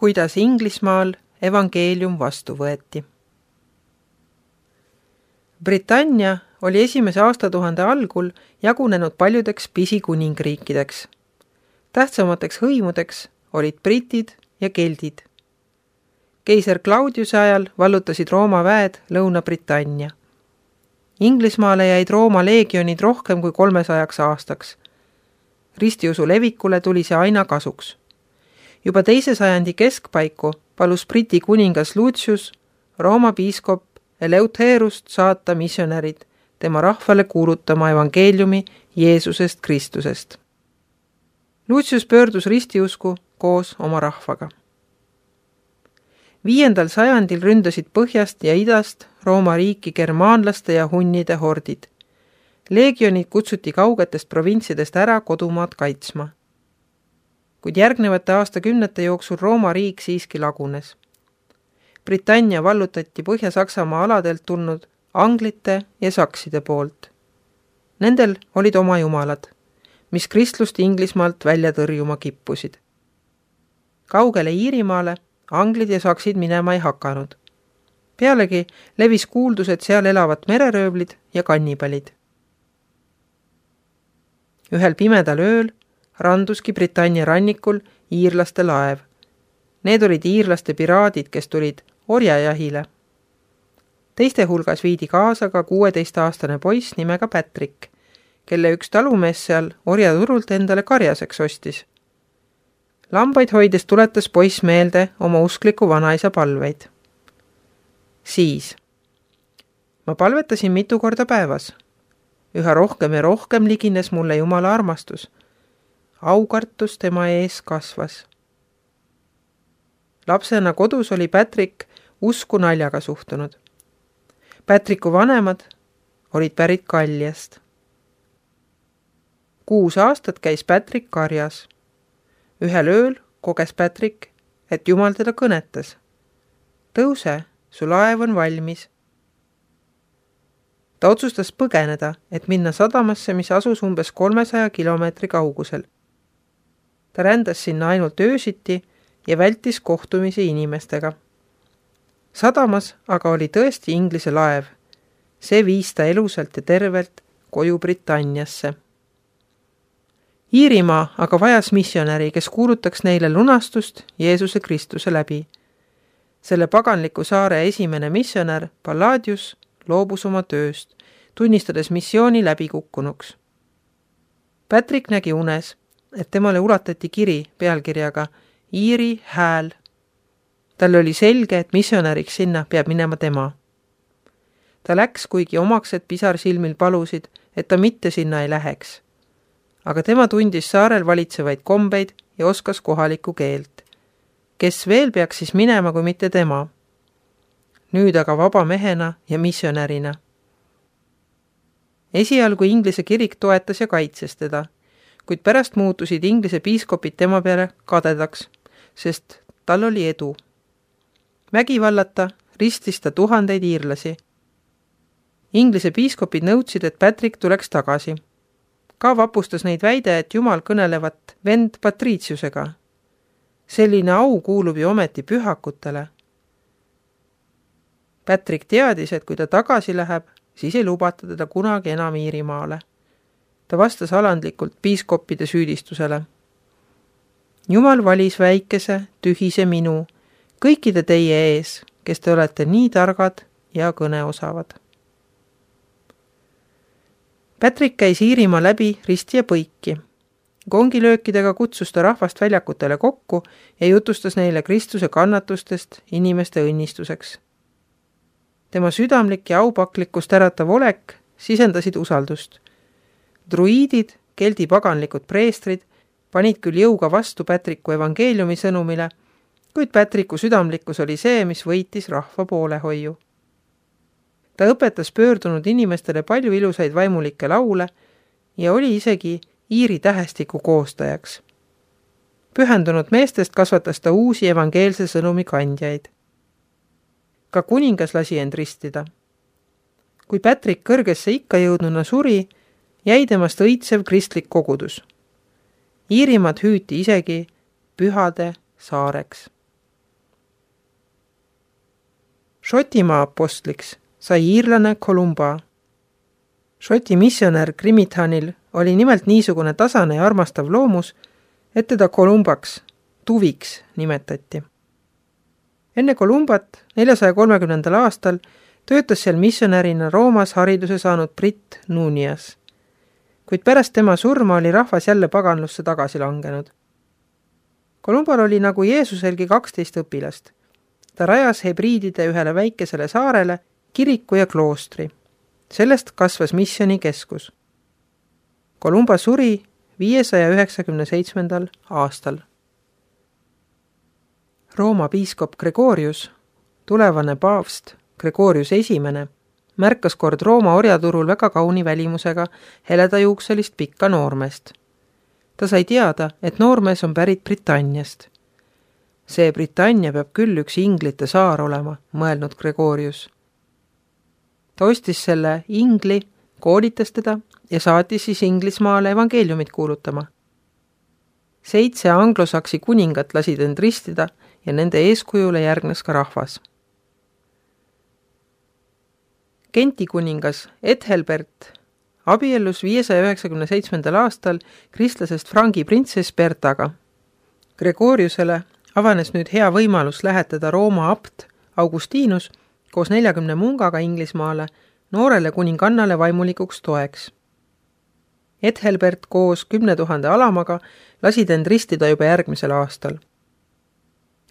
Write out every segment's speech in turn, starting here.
kuidas Inglismaal evangeelium vastu võeti. Britannia oli esimese aastatuhande algul jagunenud paljudeks pisikuningriikideks. Tähtsamateks hõimudeks olid britid ja keldid. Keiser Claudiuse ajal vallutasid Rooma väed Lõuna-Britannia. Inglismaale jäid Rooma leegionid rohkem kui 300 aastaks. Ristiusu levikule tuli see aina kasuks. Juba 2. sajandi keskpaiku palus Briti kuningas Lucius Rooma piiskop Eleuterust saata missionärid tema rahvale kuulutama evangeeliumi Jeesusest Kristusest. Lucius pöördus ristiusku koos oma rahvaga. 5. sajandil ründasid põhjast ja idast Rooma riiki germaanlaste ja hunnide hordid. Leegionid kutsuti kaugetest provintsidest ära kodumaad kaitsma. Kuid järgnevate aastakümnete jooksul Rooma riik siiski lagunes. Britannia vallutati Põhja-Saksamaa aladelt tulnud anglite ja sakside poolt. Nendel olid oma jumalad, mis kristlust Inglismaalt välja tõrjuma kippusid. Kaugele Iirimaale anglid ja saksid minema ei hakanud. Pealegi levis kuuldus, et seal elavad mereröövlid ja kannipalid. Ühel pimedal ööl randuski Britannia rannikul iirlaste laev. Need olid iirlaste piraadid, kes tulid orjajahile. Teiste hulgas viidi kaasa ka 16-aastane poiss nimega Patrick, kelle üks talumees seal orjaturult endale karjaseks ostis. Lambaid hoides tuletas poiss meelde oma uskliku vanaisa palveid. Siis. Ma palvetasin mitu korda päevas. Üha rohkem ja rohkem ligines mulle Jumala armastus. Aukartus tema ees kasvas. Lapsena kodus oli Patrick usku naljaga suhtunud. Patricku vanemad olid pärit Galliast. 6 aastat käis Patrick karjas. Ühel ööl koges Patrick, et Jumal teda kõnetas. Tõuse, su laev on valmis. Ta otsustas põgeneda, et minna sadamasse, mis asus umbes 300 kilomeetri kaugusel. Ta rändas sinna ainult öösiti ja vältis kohtumisi inimestega. Sadamas aga oli tõesti Inglise laev. See viis ta elusalt ja tervelt koju Britanniasse. Iirimaa aga vajas missionäri, kes kuulutaks neile lunastust Jeesuse Kristuse läbi. Selle paganliku saare esimene missionär, Palladius, loobus oma tööst, tunnistades missiooni läbikukkunuks. Patrick nägi unes, et temale ulatati kiri pealkirjaga Iiri hääl. Tal oli selge, et missionäriks sinna peab minema tema. Ta läks, kuigi omaksed pisarsilmil palusid, et ta mitte sinna ei läheks. Aga tema tundis saarel valitsevaid kombeid ja oskas kohalikku keelt. Kes veel peaks siis minema, kui mitte tema? Nüüd aga vaba mehena ja missionärina. Esialgu Inglise kirik toetas ja kaitses teda, kuid pärast muutusid Inglise piiskopid tema peale kadedaks, sest tal oli edu. Vägivallata ristis ta tuhandeid iirlasi. Inglise piiskopid nõudsid, et Patrick tuleks tagasi. Ka vapustas neid väide, et Jumal kõnelevat vend Patriciusega. Selline au kuulub ju ometi pühakutele. Patrick teadis, et kui ta tagasi läheb, siis ei lubata teda kunagi enam Iirimaale. Ta vastas alandlikult piiskoppide süüdistusele. Jumal valis väikese, tühise minu, kõikide teie ees, kes te olete nii targad ja kõneosavad. Patrick käis Iirimaa läbi risti ja põiki. Kongilöökidega kutsus ta rahvast väljakutele kokku ja jutustas neile Kristuse kannatustest inimeste õnnistuseks. Tema südamlik ja aupaklikkust äratav olek sisendasid usaldust. Druiidid, keldi paganlikud preestrid, panid küll jõuga vastu Patricku evangeeliumi sõnumile, kuid Patricku südamlikkus oli see, mis võitis rahva poolehoiu. Ta õpetas pöördunud inimestele palju ilusaid vaimulikke laule ja oli isegi Iiri tähestiku koostajaks. Pühendunud meestest kasvatas ta uusi evangeelse sõnumi kandjaid. Ka kuningas lasi end ristida. Kui Patrick kõrgesse ikka jõudnuna suri, jäi temast õitsev kristlik kogudus. Iirimaad hüüti isegi pühade saareks. Šotimaa apostliks sai iirlane Columba. Šoti missionär Grimithanil oli nimelt niisugune tasane ja armastav loomus, et teda Columbaks, tuviks nimetati. Enne Columbat 430. aastal töötas seal missionärina Roomas hariduse saanud britt Nunias, kuid pärast tema surma oli rahvas jälle paganlusse tagasi langenud. Columbal oli nagu Jeesuselgi 12 õpilast. Ta rajas hebriidide ühele väikesele saarele kiriku ja kloostri. Sellest kasvas missioni keskus. Columba suri 597. aastal. Rooma piiskop Gregorius, tulevane paavst Gregorius I, märkas kord Rooma orjaturul väga kauni välimusega heledajuukselist pikka noormeest. Ta sai teada, et noormees on pärit Britanniast. See Britannia peab küll üks inglite saar olema, mõelnud Gregorius. Ta ostis selle ingli, koolitas teda ja saatis siis Inglismaale evangeeliumit kuulutama. 7 anglosaksi kuningat lasid end ristida ja nende eeskujule järgnes ka rahvas. Genti kuningas Ethelbert abiellus 597. aastal kristlasest Frangi printsess Bertaga. Gregoriusele avanes nüüd hea võimalus lähetada Rooma abt Augustinus koos 40 mungaga Inglismaale noorele kuningannale vaimulikuks toeks. Ethelbert koos 10 000 alamaga lasid end ristida juba järgmisel aastal.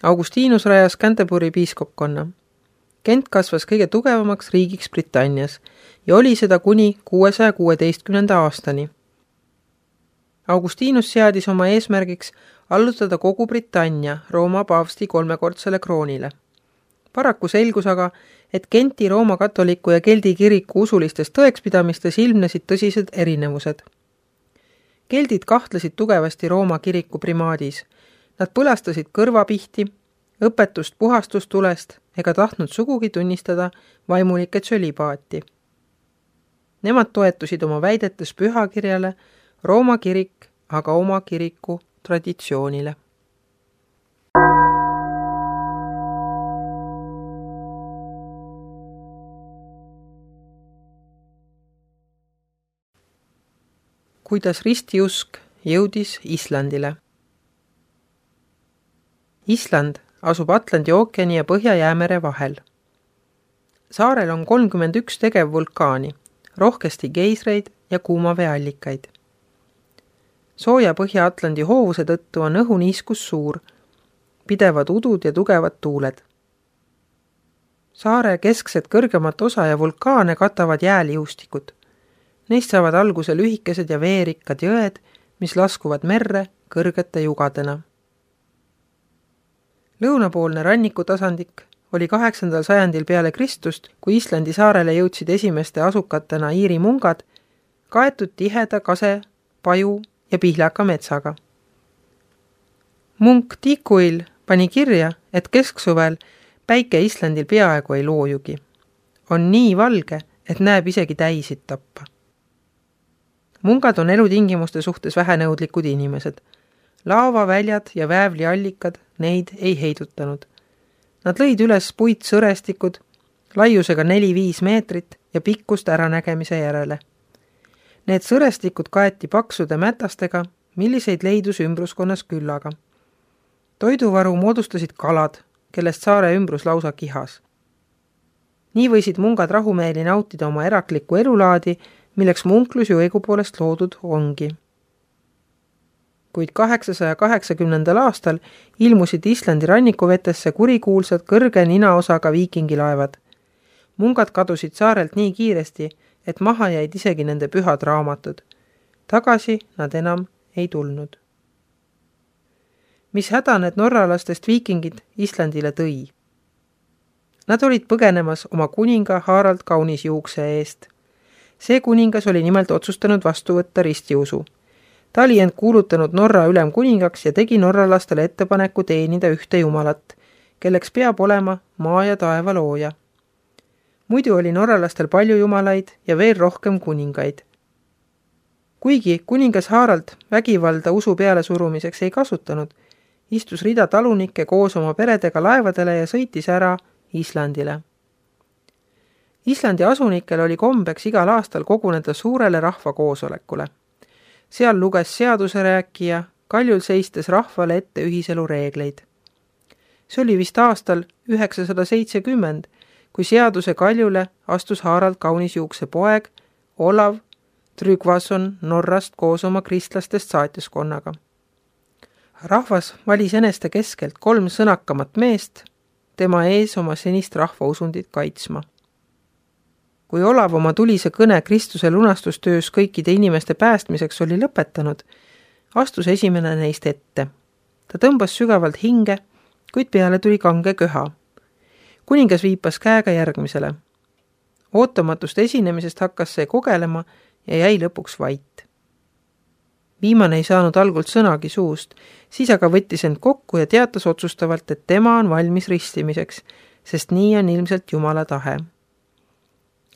Augustinus rajas Canterbury piiskopkonna. Kent kasvas kõige tugevamaks riigiks Britannias ja oli seda kuni 616. aastani. Augustinus seadis oma eesmärgiks allutada kogu Britannia Rooma paavsti 3-kordsele kroonile. Paraku selgus aga, et Genti Rooma katoliku ja Keldi kiriku usulistes tõekspidamistes ilmnesid tõsised erinevused. Keldid kahtlesid tugevasti Rooma kiriku primaadis. Nad põlastasid kõrvapihti, õpetust puhastustulest ega tahtnud sugugi tunnistada vaimulike tsölibaati. Nemad toetusid oma väidetes pühakirjale, Rooma kirik aga oma kiriku traditsioonile. Kuidas ristiusk jõudis Islandile. Island asub Atlandi ookeani ja Põhja-Jäämere vahel. Saarel on 31 tegevvulkaani, rohkesti geisreid ja kuumaveeallikaid. Sooja Põhja-Atlandi hoovuse tõttu on õhuniiskus suur, pidevad udud ja tugevad tuuled. Saare keskset kõrgemat osa ja vulkaane katavad jääliustikud. Neist saavad alguse lühikesed ja veerikkad jõed, mis laskuvad merre kõrgete jugadena. Lõunapoolne rannikutasandик oli 8. sajandil peale Kristust, kui Islandi saarele jõudsid esimeste asukatena Iiri mungad, kaetud tiheda kase, paju ja pihlaka metsaga. Munk Tikuil pani kirja, et kesksuvel päike Islandil peaaegu ei loojugi. On nii valge, et näeb isegi täisid tappa. Mungad on elutingimuste suhtes vähenõudlikud inimesed. Laavaväljad ja väävliallikad neid ei heidutanud. Nad lõid üles puitsõrestikud, laiusega 4-5 meetrit ja pikkust äranägemise järele. Need sõrestikud kaeti paksude mätastega, milliseid leidus ümbruskonnas küllaga. Toiduvaru moodustasid kalad, kellest saare ümbrus lausa kihas. Nii võisid mungad rahumeeli nautida oma eraklikku elulaadi, milleks munklus ju õigupoolest loodud ongi. Kuid 880. aastal ilmusid Islandi rannikuvetesse kurikuulsad kõrge ninaosaga viikingilaevad. Mungad kadusid saarelt nii kiiresti, et maha jäid isegi nende pühad raamatud. Tagasi nad enam ei tulnud. Mis häda need norralastest viikingid Islandile tõi? Nad olid põgenemas oma kuninga Harald Kaunisjuukse eest. See kuningas oli nimelt otsustanud vastu võtta ristiusu. Ta oli end kuulutanud Norra ülemkuningaks ja tegi norralastele ettepaneku teenida ühte jumalat, kelleks peab olema maa ja taeva looja. Muidu oli norralastel palju jumalaid ja veel rohkem kuningaid. Kuigi kuningas Harald vägivalda usu peale surumiseks ei kasutanud, istus rida talunikke koos oma peredega laevadele ja sõitis ära Islandile. Islandi asunikel oli kombeks igal aastal koguneda suurele rahvakoosolekule. Seal luges seaduse rääkija, kaljul seistes rahvale ette ühiselu reegleid. See oli vist aastal 970, kui seaduse kaljule astus Harald Kaunisjuukse poeg Olav Tryggvason Norrast koos oma kristlastest saatjaskonnaga. Rahvas valis eneste keskelt 3 sõnakamat meest, tema ees oma senist rahvausundit kaitsma. Kui Olav oma tulise kõne Kristuse lunastustöös kõikide inimeste päästmiseks oli lõpetanud, astus esimene neist ette. Ta tõmbas sügavalt hinge, kuid peale tuli kange köha. Kuningas viipas käega järgmisele. Ootamatust esinemisest hakkas see kogelema ja jäi lõpuks vait. Viimane ei saanud algult sõnagi suust, siis aga võttis end kokku ja teatas otsustavalt, et tema on valmis ristimiseks, sest nii on ilmselt Jumala tahe.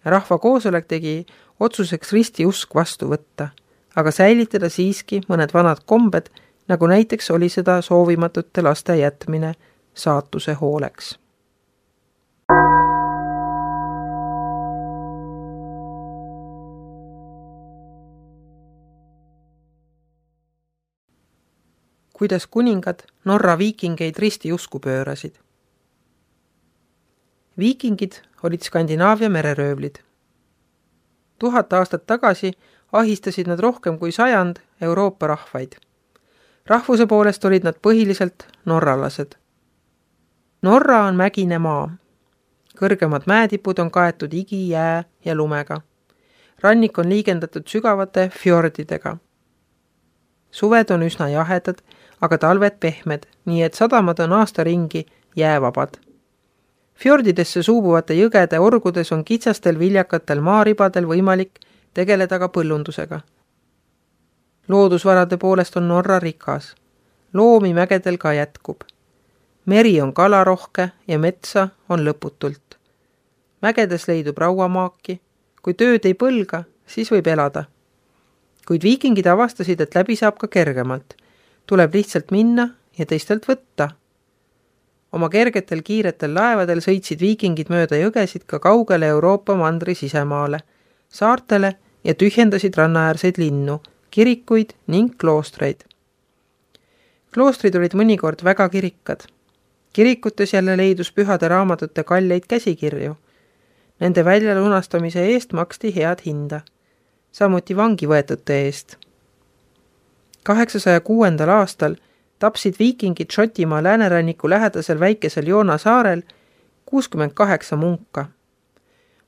Rahva koosolek tegi otsuseks ristiusk vastu võtta, aga säilitada siiski mõned vanad kombed, nagu näiteks oli seda soovimatute laste jätmine saatuse hooleks. Kuidas kuningad Norra viikingeid ristiusku pöörasid. Viikingid olid Skandinaavia mereröövlid. 1000 aastat tagasi ahistasid nad rohkem kui 100 Euroopa rahvaid. Rahvuse poolest olid nad põhiliselt norralased. Norra on mägine maa. Kõrgemad mäetipud on kaetud igi, jää ja lumega. Rannik on liigendatud sügavate fjordidega. Suved on üsna jahedad, aga talved pehmed, nii et sadamad on aasta ringi jäävabad. Fjordidesse suubuvate jõgede orgudes on kitsastel viljakatel maaribadel võimalik tegeleda ka põllundusega. Loodusvarade poolest on Norra rikas. Loomi mägedel ka jätkub. Meri on kalarohke ja metsa on lõputult. Mägedes leidub rauamaaki. Kui tööd ei põlga, siis võib elada. Kuid viikingid avastasid, et läbi saab ka kergemalt. Tuleb lihtsalt minna ja teistelt võtta. Oma kergetel kiiretel laevadel sõitsid viikingid mööda jõgesid ka kaugele Euroopa mandri sisemaale, saartele ja tühjendasid rannaäärseid linnu, kirikuid ning kloostreid. Kloostrid olid mõnikord väga kirikkad. Kirikutes jälle leidus pühade raamatute kalleid käsikirju. Nende väljalunastamise eest maksti head hinda, samuti vangi võetute eest. 806. aastal tapsid viikingid Šotimaa lääneranniku lähedasel väikesel Joona saarel 68 munka.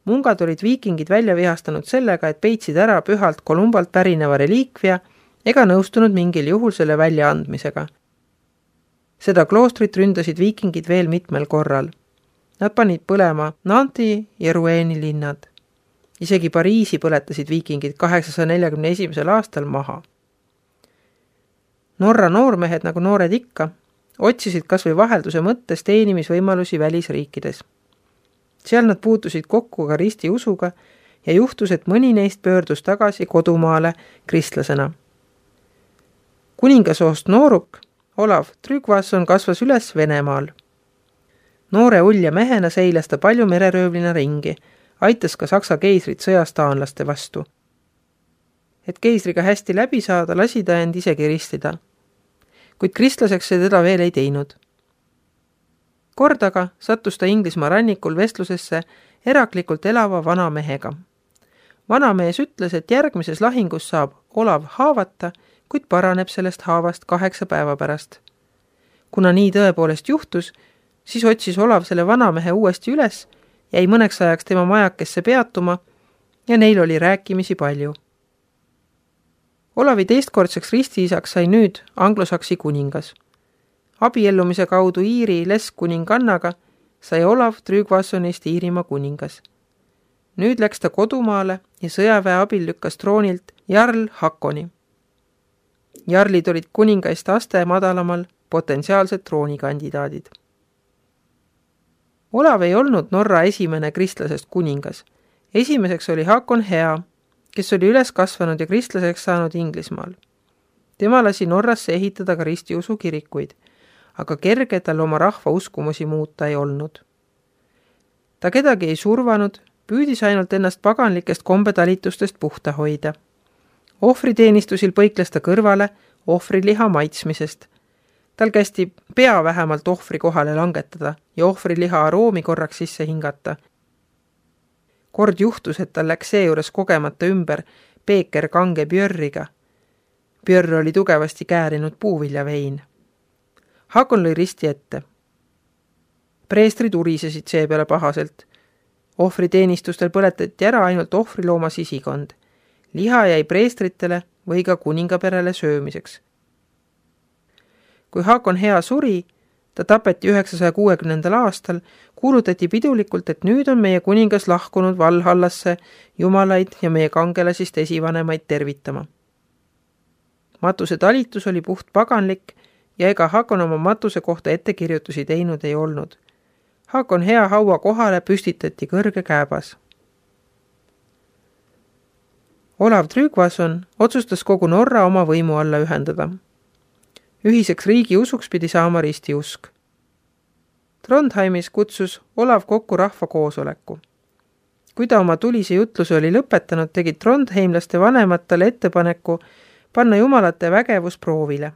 Mungad olid viikingid välja vihastanud sellega, et peitsid ära pühalt Kolumbalt pärineva reliikvia ega nõustunud mingil juhul selle väljaandmisega. Seda kloostrit ründasid viikingid veel mitmel korral. Nad panid põlema Nanti ja Roueni linnad. Isegi Pariisi põletasid viikingid 841. aastal maha. Norra noormehed, nagu noored ikka, otsisid kas või vahelduse mõttes teenimisvõimalusi välisriikides. Seal nad puutusid kokku ka ristiusuga ja juhtus, et mõni neist pöördus tagasi kodumaale kristlasena. Kuningasoost nooruk Olav Tryggvason kasvas üles Venemaal. Noore ulja mehena seilas ta palju mereröövlina ringi, aitas ka Saksa keisrit sõjas taanlaste vastu. Et keisriga hästi läbi saada, lasi ta end isegi ristida. Kuid kristlaseks see teda veel ei teinud. Kordaga sattus ta Inglismaa rannikul vestlusesse eraklikult elava vanamehega. Vanamees ütles, et järgmises lahingus saab Olav haavata, kuid paraneb sellest haavast 8 päeva pärast. Kuna nii tõepoolest juhtus, siis otsis Olav selle vanamehe uuesti üles, jäi mõneks ajaks tema majakesse peatuma ja neil oli rääkimisi palju. Olavi teistkordseks ristiisaks sai nüüd anglosaksi kuningas. Abiellumise kaudu Iiri leskuningannaga sai Olav Tryggvasonist Iirimaa kuningas. Nüüd läks ta kodumaale ja sõjaväe abil lükkas troonilt Jarl Hakoni. Jarlid olid kuningaist aste madalamal potentsiaalsed troonikandidaadid. Olav ei olnud Norra esimene kristlasest kuningas. Esimeseks oli Hakon Hea, kes oli üles kasvanud ja kristlaseks saanud Inglismaal. Tema lasi Norrasse ehitada ka ristiusu kirikuid, aga kerge tal oma rahva uskumusi muuta ei olnud. Ta kedagi ei survanud Püüdis ainult ennast paganlikest kombetalitustest puhta hoida. Ohvriteenistusil põikles ta kõrvale ohvriliha maitsmisest. Tal kästi pea vähemalt ohvri kohale langetada ja ohvriliha aroomi korraks sisse hingata. Kord juhtus, et tal läks seejuures kogemata ümber peeker kange björriga. Björr oli tugevasti käärinud puuviljavein. Hakon lõi risti ette. Preestrid urisesid seepeale pahaselt. Ohvriteenistustel põletati ära ainult ohvrilooma sisikond. Liha jäi preestritele või ka kuningaperele söömiseks. Kui Hakon hea suri, ta tapeti 960. aastal, kuulutati pidulikult, et nüüd on meie kuningas lahkunud Valhallasse jumalaid ja meie kangelasist esivanemaid tervitama. Matuse talitus oli puht paganlik ja ega Hakon oma matuse kohta ettekirjutusi teinud ei olnud. Hakon hea haua kohale püstitati kõrge kääbas. Olav Tryggvason otsustas kogu Norra oma võimu alla ühendada. Ühiseks riigi usuks pidi saama ristiusk. Trondheimis kutsus Olav kokku rahva koosoleku. Kui ta oma tulise jutluse oli lõpetanud, tegid trondheimlaste vanemad talle ettepaneku panna jumalate vägevus proovile.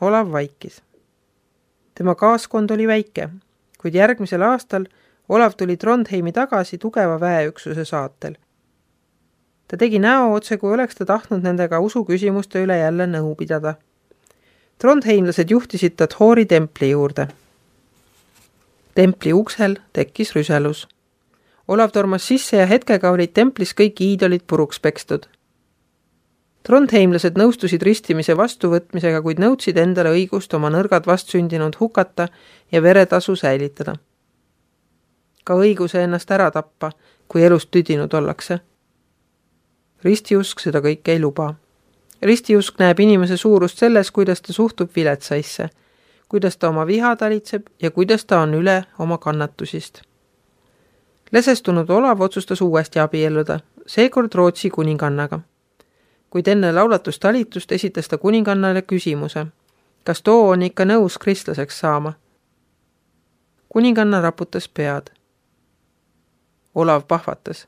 Olav vaikis. Tema kaaskond oli väike, kuid järgmisel aastal Olav tuli Trondheimi tagasi tugeva väeüksuse saatel. Ta tegi näo otse, kui oleks ta tahtnud nendega usuküsimuste üle jälle nõu pidada. Trondheimlased juhtisid ta Thori templi juurde. Templi uksel tekkis rüselus. Olav tormas sisse ja hetkega olid templis kõik iidolid puruks pekstud. Trondheimlased nõustusid ristimise vastuvõtmisega, kuid nõudsid endale õigust oma nõrgad vastsündinud hukata ja veretasu säilitada. Ka õiguse ennast ära tappa, kui elust tüdinud ollakse. Ristiusk seda kõike ei luba. Ristiusk näeb inimese suurust selles, kuidas ta suhtub viletsaisse, kuidas ta oma viha talitseb ja kuidas ta on üle oma kannatusist. Lesestunud Olav otsustas uuesti abielluda, seekord Rootsi kuningannaga. Kuid enne laulatustalitust esitas ta kuningannale küsimuse, kas too on ikka nõus kristlaseks saama. Kuninganna raputas pead. Olav pahvatas.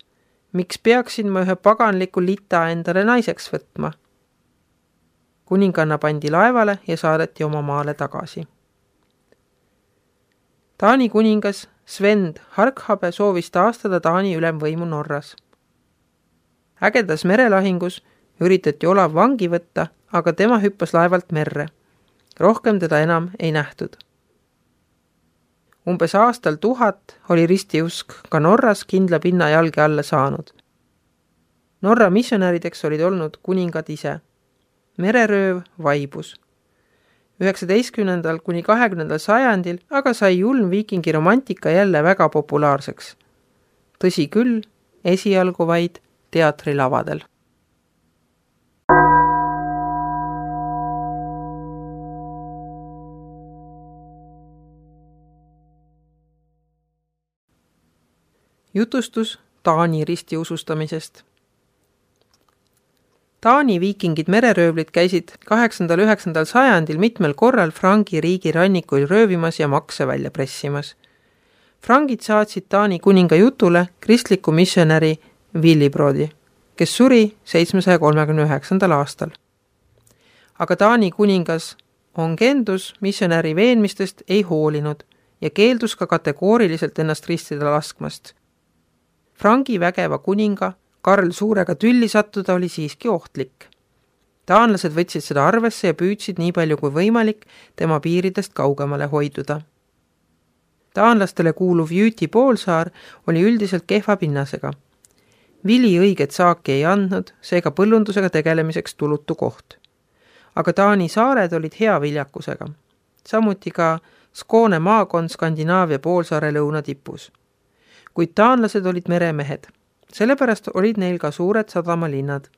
Miks peaksin ma ühe paganliku lita endale naiseks võtma? Kuninganna pandi laevale ja saadeti oma maale tagasi. Taani kuningas Sven Harkhabe soovis taastada Taani ülemvõimu Norras. Ägedas merelahingus üritati Olav vangi võtta, aga tema hüppas laevalt merre. Rohkem teda enam ei nähtud. Umbes aastal 1000 oli ristiusk ka Norras kindla pinna jalge alla saanud. Norra missionärideks olid olnud kuningad ise. Mererööv vaibus. 19. kuni 20. sajandil aga sai julm viikingi romantika jälle väga populaarseks. Tõsi küll, esialgu vaid teatrilavadel. Jutustus Taani ristiusustamisest. Taani viikingid mereröövlid käisid 8.–9. sajandil mitmel korral Frangi riigi rannikuil röövimas ja makse välja pressimas. Frangid saatsid Taani kuninga jutule kristliku missionäri Willibrodi, kes suri 739. aastal. Aga Taani kuningas Ongendus missionäri veenmistest ei hoolinud ja keeldus ka kategooriliselt ennast ristida laskmast. Frangi vägeva kuninga Karl Suurega tülli sattuda oli siiski ohtlik. Taanlased võtsid seda arvesse ja püüdsid nii palju kui võimalik tema piiridest kaugemale hoiduda. Taanlastele kuuluv Jüti poolsaar oli üldiselt kehva pinnasega. Vili õiget saaki ei andnud, seega põllundusega tegelemiseks tulutu koht. Aga Taani saared olid hea viljakusega. Samuti ka Skåne maakond Skandinaavia poolsaare lõunatipus. Kuid taanlased olid meremehed. Sellepärast olid neil ka suured sadamalinnad.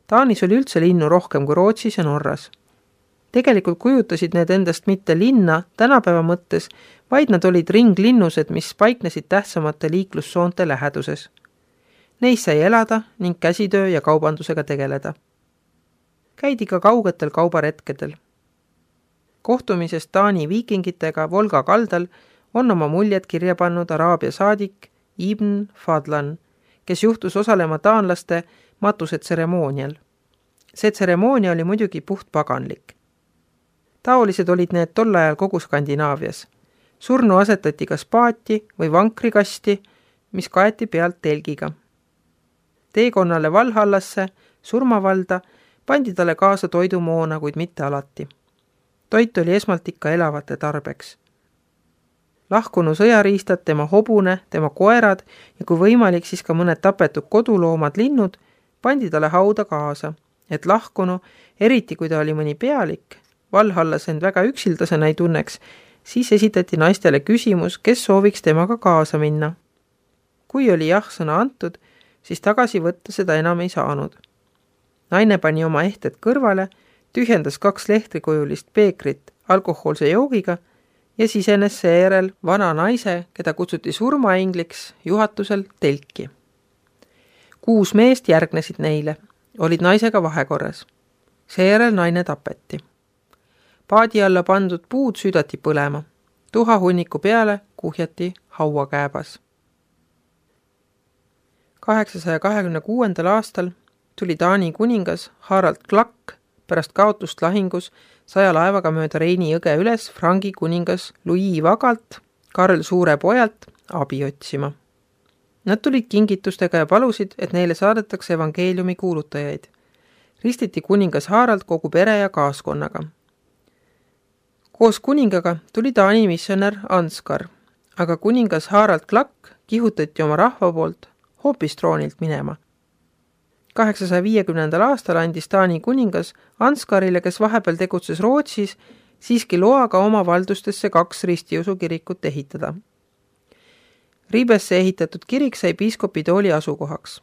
Taanis oli üldse linnu rohkem kui Rootsis ja Norras. Tegelikult kujutasid need endast mitte linna tänapäeva mõttes, vaid nad olid ringlinnused, mis paiknesid tähtsamate liiklussoonte läheduses. Neis sai elada ning käsitöö ja kaubandusega tegeleda. Käidi ka kaugetel kaubaretkedel. Kohtumisest Taani viikingitega Volga kaldal on oma muljed kirja pannud Araabia saadik Ibn Fadlan, kes juhtus osalema taanlaste matusetseremoonial. See tseremoonia oli muidugi puht paganlik. Taolised olid need tol ajal kogu Skandinaavias. Surnu asetati kas paati või vankrikasti, mis kaeti pealt telgiga. Teekonnale Valhallasse, surmavalda, pandi talle kaasa toidumoona, kuid mitte alati. Toit oli esmalt ikka elavate tarbeks. Lahkunu sõjariistad, tema hobune, tema koerad ja kui võimalik, siis ka mõned tapetud koduloomad linnud pandi talle hauda kaasa, et lahkunu, eriti kui ta oli mõni pealik, Valhallas end väga üksildasena ei tunneks, siis esitati naistele küsimus, kes sooviks temaga kaasa minna. Kui oli jah-sõna antud, siis tagasi võtta seda enam ei saanud. Naine pani oma ehted kõrvale, tühjendas 2 lehtrikujulist peekrit alkohoolse joogiga ja sisenes seejärel vana naise, keda kutsuti surmaingliks, juhatusel telki. 6 meest järgnesid neile, olid naisega vahekorras. Seejärel naine tapeti. Paadi alla pandud puud süüdati põlema. Tuhahunniku peale kuhjati hauakääbas. 826. aastal tuli Taani kuningas Harald Klak pärast kaotust lahingus 100 laevaga mööda Reini jõge üles Frangi kuningas Louis Vagalt, Karl Suure pojalt, abi otsima. Nad tulid kingitustega ja palusid, et neile saadetakse evangeeliumi kuulutajaid. Ristiti kuningas Harald kogu pere ja kaaskonnaga. Koos kuningaga tuli Taani missionär Anskar, aga kuningas Harald Klak kihutati oma rahva poolt hoopis troonilt minema. 850. aastal andis Taani kuningas Anskarile, kes vahepeal tegutses Rootsis, siiski loaga oma valdustesse 2 ristiusu kirikut ehitada. Riibesse ehitatud kirik sai piiskopi tooli asukohaks.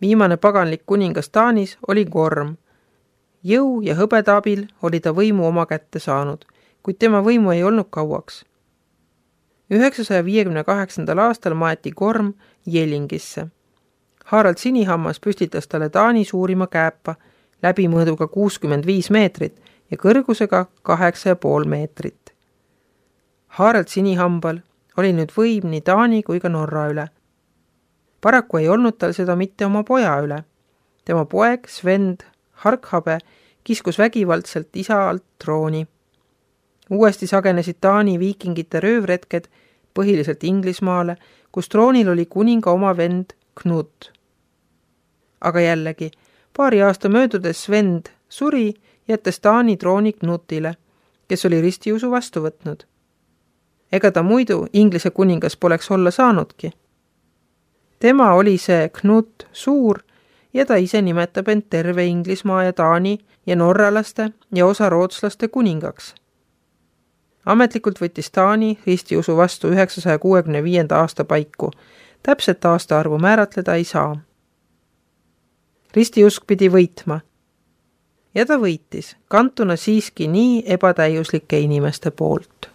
Viimane paganlik kuningas Taanis oli Gorm. Jõu ja hõbeda abil oli ta võimu oma kätte saanud, kuid tema võimu ei olnud kauaks. 958. aastal maeti Gorm Jelingisse. Harald Sinihammas püstitas talle Taani suurima kääpa, läbimõõduga 65 meetrit ja kõrgusega 8,5 meetrit. Harald Sinihambal oli nüüd võim nii Taani kui ka Norra üle. Paraku ei olnud tal seda mitte oma poja üle. Tema poeg Svend Harkhabe kiskus vägivaldselt isa alt trooni. Uuesti sagenesid Taani viikingite röövretked põhiliselt Inglismaale, kus troonil oli kuninga oma vend Knut. Aga jällegi, paari aasta möödudes Svend suri, jättes Taani trooni Knutile, kes oli ristiusu vastu võtnud. Ega ta muidu Inglise kuningas poleks olla saanudki. Tema oli see Knut suur ja ta ise nimetab end terve Inglismaa ja Taani ja norralaste ja osa rootslaste kuningaks. Ametlikult võttis Taani ristiusu vastu 965. aasta paiku. Täpset aastaarvu määratleda ei saa. Ristiusk pidi võitma. Ja ta võitis, kantuna siiski nii ebatäiuslike inimeste poolt.